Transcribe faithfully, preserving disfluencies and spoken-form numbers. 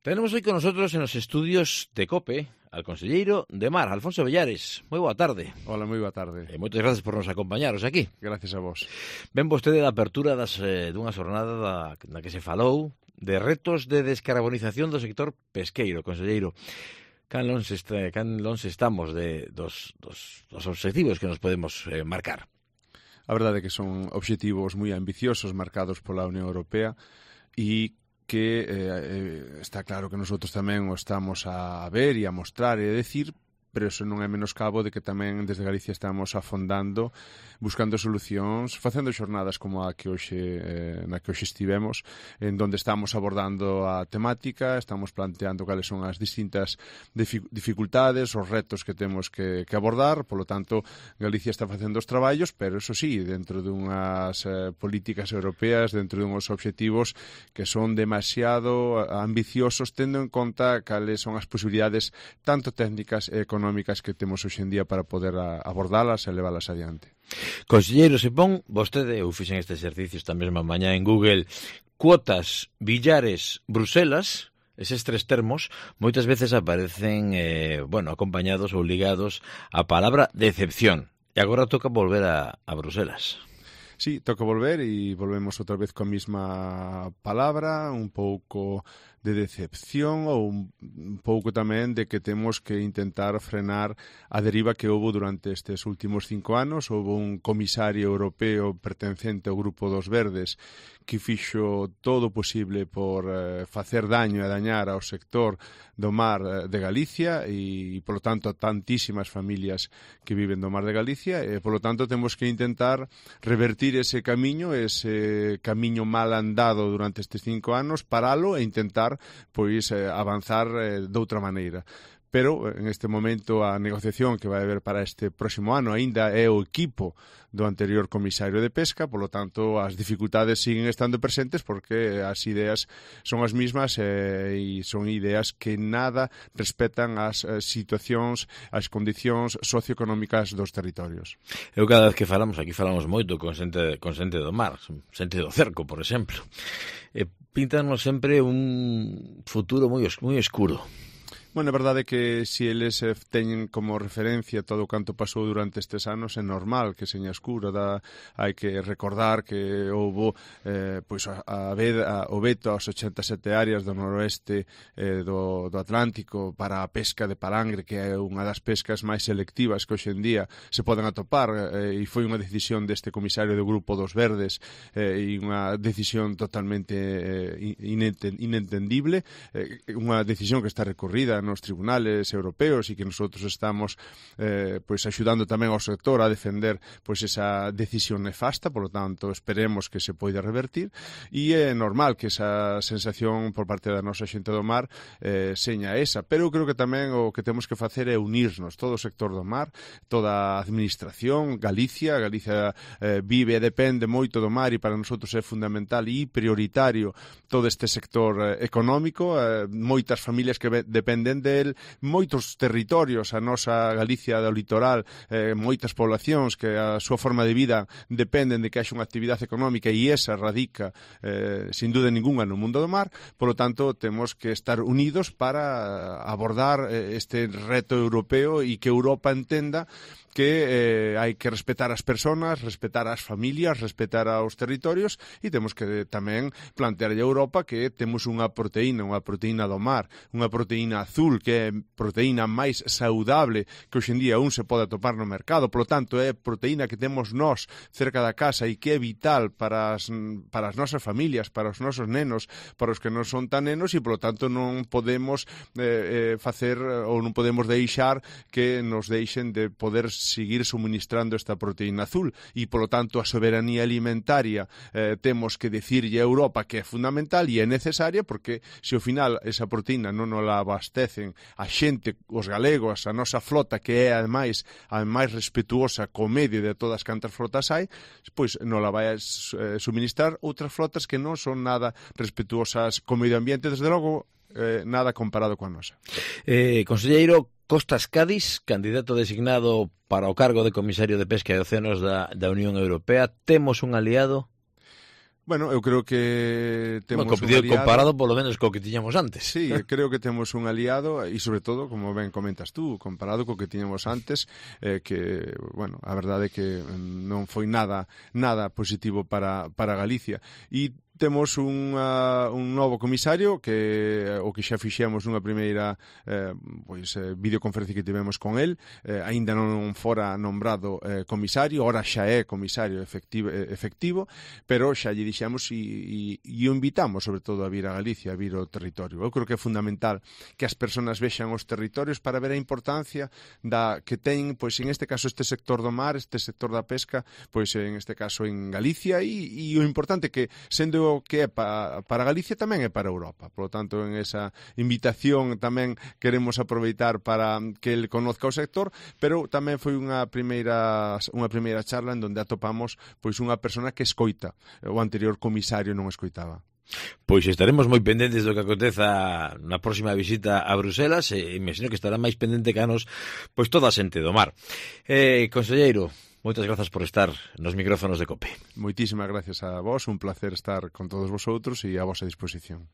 Tenemos hoy con nosotros en los estudios de COPE al conselleiro de Mar, Alfonso Villares. Moi boa tarde. Hola, moi boa tarde. E moitas gracias por nos acompañaros aquí. Gracias a vos. Ven vostede da apertura das, eh, dunha xornada da, na que se falou de retos de descarbonización do sector pesqueiro, conselleiro. Can longe está, can longe estamos de, dos, dos, dos obxectivos que nos podemos eh, marcar. A verdade é que son obxectivos moi ambiciosos marcados pola Unión Europea e que eh, está claro que nosotros tamén o estamos a ver e a mostrar e a decir, pero eso non é menoscabo de que tamén desde Galicia estamos afondando, buscando solucións, facendo xornadas como a que hoxe, eh, na que hoxe estivemos, en donde estamos abordando a temática, estamos planteando cales son as distintas dificultades, os retos que temos que, que abordar, polo tanto, Galicia está facendo os traballos, pero eso sí, dentro dunhas eh, políticas europeas, dentro dunhos obxectivos que son demasiado ambiciosos, tendo en conta cales son as posibilidades tanto técnicas e económicas que temos hoxe en día para poder a, abordalas e leválas adiante. Conselleiro, se pon vostede, eu fixen este exercicio esta mesma mañá en Google, cuotas, Villares, Bruselas, eses tres termos, moitas veces aparecen, eh, bueno, acompañados ou ligados á palabra decepción. E agora toca volver a, a Bruselas. Sí, toca volver e volvemos outra vez coa mesma palabra, un pouco de decepción ou un pouco tamén de que temos que intentar frenar a deriva que houve durante estes últimos cinco anos. Houve un comisario europeo pertencente ao Grupo dos Verdes que fixo todo o posible por eh, facer daño e dañar ao sector do mar de Galicia e, polo tanto, a tantísimas familias que viven do mar de Galicia e, polo tanto, temos que intentar revertir ese camiño, ese camiño mal andado durante estes cinco anos, paralo e intentar pois eh, avanzar eh, doutra maneira. Pero, en este momento, a negociación que vai haber para este próximo ano aínda é o equipo do anterior comisario de Pesca, polo tanto, as dificultades siguen estando presentes porque as ideas son as mismas eh, e son ideas que nada respetan as eh, situacións, as condicións socioeconómicas dos territorios. Eu cada vez que falamos, aquí falamos moito con xente, con xente do mar, xente do cerco, por exemplo, e píntanos sempre un futuro moi, moi escuro. Bueno, a verdade é que se eles teñen como referencia todo o canto pasou durante estes anos, é normal que seña escuro. Da, hai que recordar que houve eh, pois a, a, a, o veto aos ochenta e sete áreas do noroeste eh, do, do Atlántico para a pesca de palangre, que é unha das pescas máis selectivas que hoxe en día se poden atopar, eh, e foi unha decisión deste comisario do Grupo dos Verdes eh, e unha decisión totalmente eh, inentendible, eh, unha decisión que está recorrida nos tribunales europeos e que nosotros estamos eh, pois axudando tamén ao sector a defender pois esa decisión nefasta, por lo tanto esperemos que se poida revertir e é normal que esa sensación por parte da nosa xente do mar eh, seña esa, pero eu creo que tamén o que temos que facer é unirnos, todo o sector do mar, toda a administración, Galicia, Galicia eh, vive e depende moito do mar e para nosotros é fundamental e prioritario todo este sector eh, económico, eh, moitas familias que dependen del, moitos territorios, a nosa Galicia do litoral, eh, moitas poblacións que a súa forma de vida dependen de que haxa unha actividade económica e esa radica, eh, sin dúda ninguna, no mundo do mar. Por lo tanto, temos que estar unidos para abordar eh, este reto europeo e que Europa entenda que eh, hai que respetar as persoas, respetar as familias, respetar aos territorios e temos que tamén plantear a Europa que temos unha proteína, unha proteína do mar, unha proteína azul que é proteína máis saudable que hoxe en día un se pode atopar no mercado, polo tanto é proteína que temos nós cerca da casa e que é vital para as, para as nosas familias, para os nosos nenos, para os que non son tan nenos e polo tanto non podemos eh, eh, facer ou non podemos deixar que nos deixen de poder seguir suministrando esta proteína azul e, polo tanto, a soberanía alimentaria eh, temos que dicirlle a Europa que é fundamental e é necesaria porque se ao final esa proteína non nos la abastecen a xente, os galegos, a nosa flota que é, ademais, a máis respetuosa co medio de todas cantas flotas hai, pois non la vai a eh, suministrar outras flotas que non son nada respetuosas co medio ambiente, desde logo eh, nada comparado coa nosa. Eh, conselleiro, Costas Cádiz, candidato designado para o cargo de comisario de Pesca e Océanos da, da Unión Europea, temos un aliado? Bueno, eu creo que temos bueno, un aliado... Comparado polo menos co que tiñamos antes. Sí, creo que temos un aliado e sobre todo, como ben comentas tú, comparado co que tiñamos antes, eh, que, bueno, a verdade é que non foi nada nada positivo para, para Galicia. E temos un, uh, un novo comisario que o que xa fixemos nunha primeira eh, pois, eh, videoconferencia que tivemos con el, eh, aínda non fora nombrado eh, comisario, ora xa é comisario efectivo, efectivo pero xa lle dixemos e, e, e o invitamos sobre todo a vir a Galicia, a vir ao territorio. Eu creo que é fundamental que as persoas vexan os territorios para ver a importancia da que ten, pois en este caso este sector do mar, este sector da pesca, pois en este caso en Galicia e, e o importante que sendo que é pa, para Galicia tamén é para Europa. Por lo tanto, en esa invitación tamén queremos aproveitar para que el conozca o sector, pero tamén foi unha primeira unha primeira charla en donde atopamos pois unha persona que escoita. O anterior comisario non escoitaba. Pois estaremos moi pendentes do que aconteza na próxima visita a Bruselas e imagino que estará máis pendente que a nos pois toda a xente do mar. Eh, conselleiro, moitas grazas por estar nos micrófonos de COPE. Moitísimas gracias a vos, un placer estar con todos vosotros e a vosa disposición.